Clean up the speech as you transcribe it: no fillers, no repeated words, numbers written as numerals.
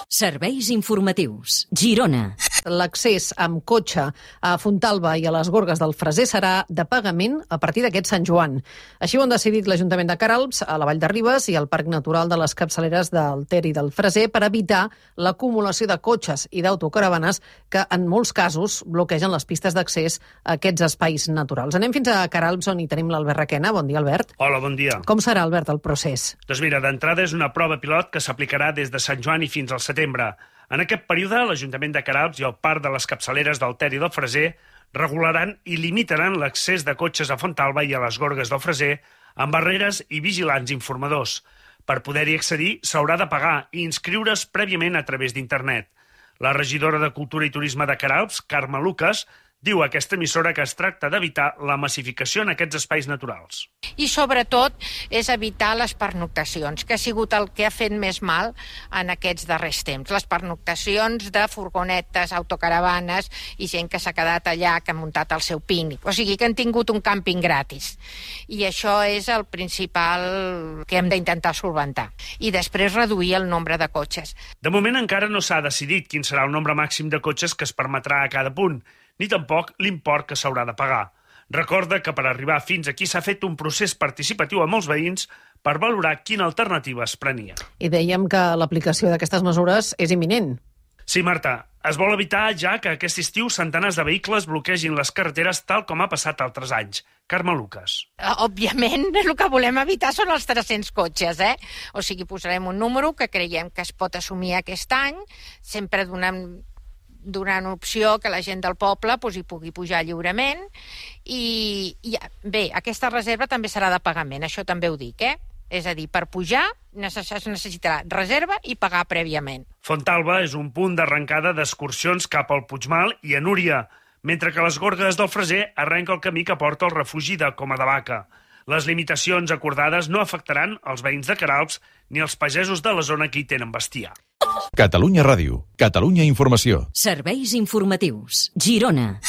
Serveis informatius. Girona. L'accés amb cotxe a Fontalba i a les Gorgues del Freser serà de pagament a partir d'aquest Sant Joan. Així ho han decidit l'Ajuntament de Queralbs, a la Vall de Ribes i al Parc Natural de les Capçaleres del Ter i del Freser per evitar l'acumulació de cotxes i d'autocaravanes que en molts casos bloquegen les pistes d'accés a aquests espais naturals. Anem fins a Queralbs, on hi tenim l'Albert Requena. Bon dia, Albert. Hola, bon dia. Com serà, Albert, el procés? Doncs mira, d'entrada és una prova pilot que s'aplicarà des de Sant Joan i fins al setembre. En aquest període, l'Ajuntament de Queralbs i el Parc de les Capçaleres del Ter i del Freser regularan i limitaran l'accés de cotxes a Fontalba i a les Gorgues del Freser amb barreres i vigilants informadors. Per poder-hi accedir, s'haurà de pagar i inscriure's prèviament a través d'internet. La regidora de Cultura i Turisme de Queralbs, Carme Lucas, diu a aquesta emissora que es tracta d'evitar la massificació en aquests espais naturals. I sobretot és evitar les pernoctacions, que ha sigut el que ha fet més mal en aquests darrers temps. Les pernoctacions de furgonetes, autocaravanes i gent que s'ha quedat allà, que ha muntat el seu pícnic. O sigui que han tingut un càmping gratis. I això és el principal que hem d'intentar solventar. I després reduir el nombre de cotxes. De moment encara no s'ha decidit quin serà el nombre màxim de cotxes que es permetrà a cada punt, ni tampoc l'import que s'haurà de pagar. Recorda que per arribar fins aquí s'ha fet un procés participatiu amb els veïns per valorar quina alternativa es prenia. I dèiem que l'aplicació d'aquestes mesures és imminent. Sí, Marta, es vol evitar ja que aquest estiu centenars de vehicles bloquegin les carreteres tal com ha passat altres anys. Carme Lucas. Òbviament, el que volem evitar són els 300 cotxes, O sigui, posarem un número que creiem que es pot assumir aquest any, sempre donant opció que la gent del poble hi pugui pujar lliurement i bé, aquesta reserva també serà de pagament, això també ho dic, És a dir, per pujar es necessitarà reserva i pagar prèviament. Fontalba és un punt d'arrencada d'excursions cap al Puigmal i a Núria, mentre que les Gorgues del Freser arrenca el camí que porta al refugi de Coma de Vaca. Les limitacions acordades no afectaran els veïns de Queralbs ni els pagesos de la zona que hi tenen bestiar. Catalunya Ràdio, Catalunya Informació. Serveis informatius. Girona.